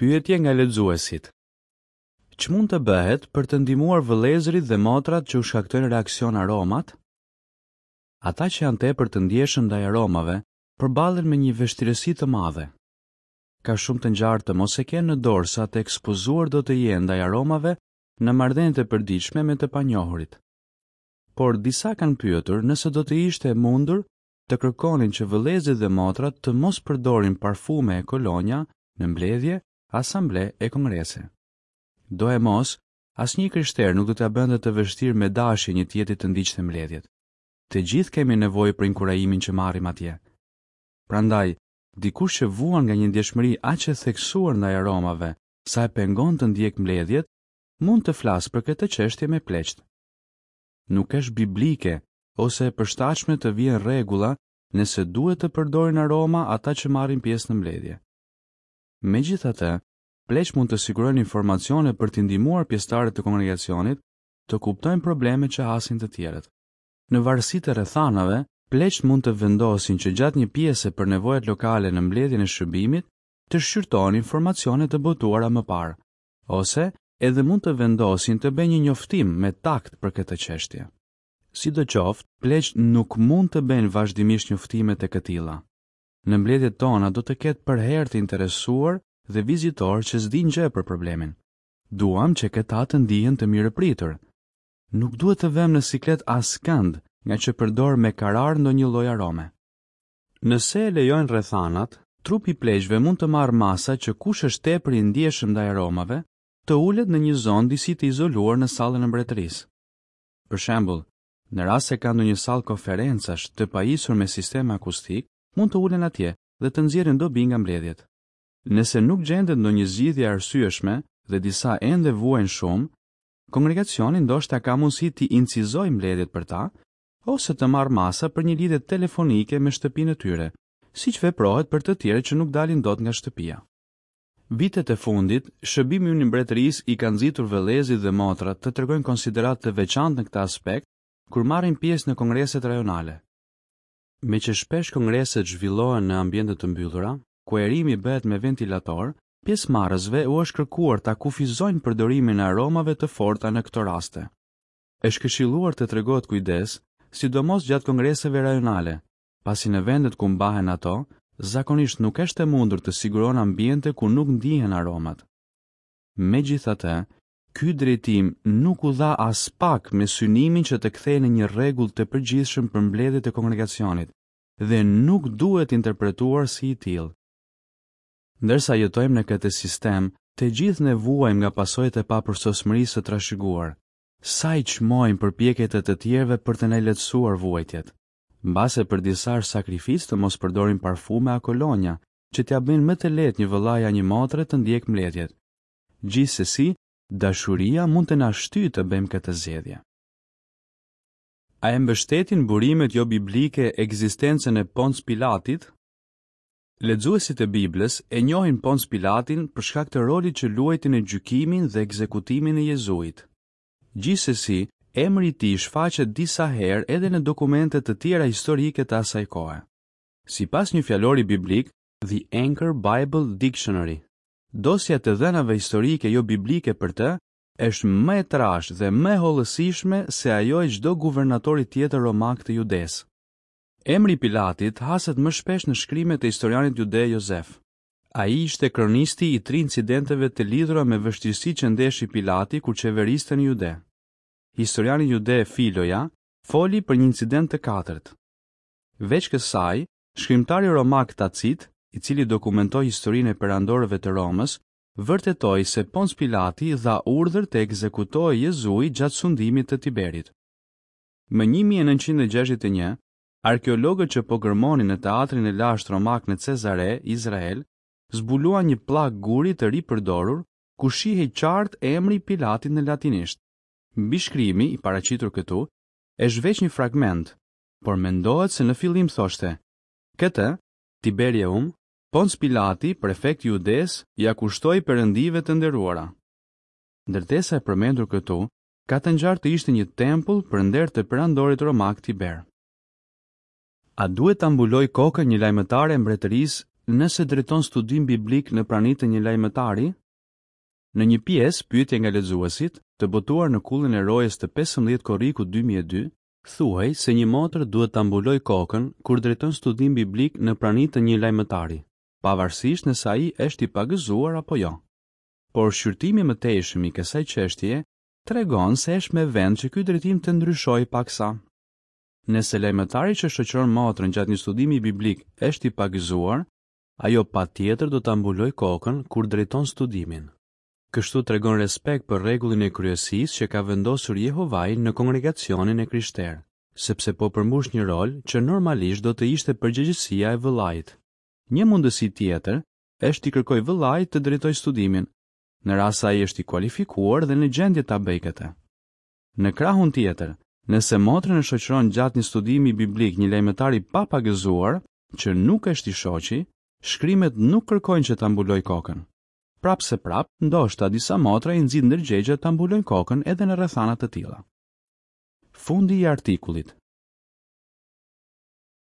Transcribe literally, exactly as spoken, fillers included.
Pyetje nga lexuesit. Ç'mund të bëhet për të ndihmuar vëllezërit dhe motrat që u shkaktojnë reaksion aromat? Ata që janë tepër të ndjeshëm ndaj aromave përballen me një vështirësi të madhe. Ka shumë të ngjarë të mos e kenë në dorë sa të ekspozuar do të jenë ndaj aromave në marrëdhëniet e përditshme me të panjohurit. Por disa kanë pyetur nëse do të ishte e mundur të kërkonin që vëllezërit dhe motrat të mos përdorin parfume e kolonja në mbledhje, asamble e kongrese. Doemos, asnjë i krishterë nuk do t'ia bënte të vështirë me dashje një tjetri të ndiqte mbledhjet. Të gjithë kemi nevojë për inkurajimin që marrim atje. Prandaj, dikush që vuan nga një ndjeshmëri aq e theksuar ndaj aromave, sa e pengon të ndjek mbledhjet, mund të flasë për këtë çështje me pleqt. Nuk është biblike ose e përshtatshme të vihen rregulla nëse duhet të përdorin aroma ata që marrin pjesë në mbledhje. Megjithatë, pleqt mund të sigurojnë informacione për t'i ndihmuar pjesëtarët e kongregacionit të kuptojnë problemet që hasin të tjerët. Në varësi të rrethanave, pleqt mund të vendosin që gjatë një pjese për nevojat lokale në mbledhjen e shërbimit të shqyrtohen informacione të botuara më parë, ose edhe mund të vendosin të bëjnë një njoftim me takt për këtë çështje. Sidoqoftë, pleqt nuk mund të bëjnë vazhdimisht njoftime të këtilla. Në mbledhjet tona do të ketë përherë të interesuar dhe vizitorë që s'dinë gjë për problemin. Duam që këta të ndihen të mirëpritur. Nuk duhet të vëmë në siklet askënd nga që përdor me karar ndonjë lloj arome. Nëse e lejojnë rrethanat, trupi i pleqve mund të marrë masa që kush është tepër i ndjeshëm ndaj aromave, të ulet në një zonë disi të izoluar në sallën e mbretërisë. Për shembull, në rast se ka ndonjë sallë konferencash të pajisur me sistem akustik, mund të ulen atje dhe të nxjerrin dobi nga mbledhjet. Nëse nuk gjendet ndonjë zgjidhje e arsyeshme dhe disa ende vuajnë shumë, kongregacioni ndoshta ka mundësi t'i incizojë mbledhjet për ta ose të marrë masa për një lidhje telefonike me shtëpinë e tyre, siç veprohet për të tjerë që nuk dalin dot nga shtëpia. Vitet e fundit, shërbimi ynë i mbretërisë i ka nxitur vëllezërit dhe motrat të tregojnë konsideratë të veçantë në këtë aspekt kur marrin pjesë në kongreset rajonale. Meqë shpesh kongreset zhvillohen në ambiente të mbyllura, ku erimi bëhet me ventilator, pjesëmarrësve u është kërkuar ta kufizojnë përdorimin e aromave të forta në këto raste. Është këshilluar të tregohet kujdes, sidomos gjatë kongreseve rajonale, pasi në vendet ku mbahen ato, zakonisht nuk është e mundur të siguron ambiente ku nuk ndihen aromat. Megjithatë, ky drejtim nuk u dha as pak me synimin që të kthehej në një rregull të përgjithshëm për mbledhjet e kongregacionit dhe nuk duhet interpretuar si i tillë. Ndërsa jetojmë në këtë sistem, të gjithë ne vuajmë nga pasojat e papërsosmërisë së trashëguar. Sa i çmojmë përpjekjet e të tjerëve për të na lehtësuar vuajtjet. Mbase për disa është sakrificë të mos përdorin parfume a kolonja, që t'ia bëjnë më të lehtë një vëllai a një motre të ndjek mbledhjet. Gjithsesi, dashuria mund të na shtyjë të bëjmë këtë zgjedhje. A e mbështetin burimet jo biblike ekzistencën e Ponc Pilatit? Lexuesit e Biblës e njohin Ponc Pilatin për shkak të rolit që luajti në gjykimin dhe ekzekutimin e Jezuit. Gjithsesi, emri i tij shfaqet disa herë edhe në dokumente të tjera historike të asaj kohe. Sipas një fjalori biblik, The Anchor Bible Dictionary, dosja e të dhënave historike jo biblike për të është më e trashë dhe më e hollësishme se ajo e çdo guvernatori tjetër romak të Judesë. Emri i Pilatit haset më shpesh në shkrimet e historianit jude Jozef. Ai ishte kronisti i tri incidenteve të lidhura me vështirësi që ndeshi Pilati kur qeveriste në Jude. Historiani jude Filoja foli për një incident të katërt. Veç kësaj, shkrimtari romak Tacit, i cili dokumentoi historinë e perandorëve të Romës, vërtetoi se Ponc Pilati dha urdhër të ekzekutohej Jezui gjatë sundimit të Tiberit. Më një mijë e nëntëqind e gjashtëdhjetë e një, arkeologët që po gërmonin në teatrin e lashtë romak në Cezare, Izrael, zbuluan një pllak guri të ripërdorur ku shihej qartë emri i Pilatit në latinisht. Mbishkrimi i paraqitur këtu është veç një fragment, por mendohet se në fillim thoshte: Këtë, Tiberium, Ponc Pilati, prefekt i Judesë, ia kushtoi perëndive të nderuara. Ndërtesa e përmendur këtu ka të ngjarë të ishte një tempull për nder të perandorit romak Tiber. A duhet ta mbuloj kokën një lajmëtare e mbretërisë nëse drejton studim biblik në prani të një lajmëtari? Në një pjesë, Pyetje nga lexuesit, të botuar në Kullën e Rojës të pesëmbëdhjetë korrikut dy mijë e dy, thuhej se një motër duhet ta mbulojë kokën kur drejton studim biblik në prani të një lajmëtari, pavarësisht nëse ai është i pagëzuar apo jo. Por shqyrtimi i mëtejshëm i kësaj çështjeje tregon se është me vend që ky drejtim të ndryshojë paksa. Nëse lajmëtari që shoqëron motrën gjatë një studimi biblik është i pagëzuar, ajo patjetër do ta mbulojë kokën kur drejton studimin. Kështu tregon respekt për rregullin e kryesisë që ka vendosur Jehovai në kongregacionin e krishterë, sepse po përmbush një rol që normalisht do të ishte përgjegjësia e vëllait. Një mundësi tjetër është t'i kërkojë vëllait të drejtojë studimin, në rast se ai është i kualifikuar dhe në gjendje ta bëjë këtë. Në krahun tjetër, nëse motrën e shoqëron gjatë një studimi biblik një lajmëtar i papagëzuar, që nuk është i shoqi, shkrimet nuk kërkojnë që ta mbulojë kokën. Prapë se prapë, ndoshta disa motra i nxit ndërgjegja ta mbulojnë kokën edhe në rrethana të tilla. Fundi i artikullit.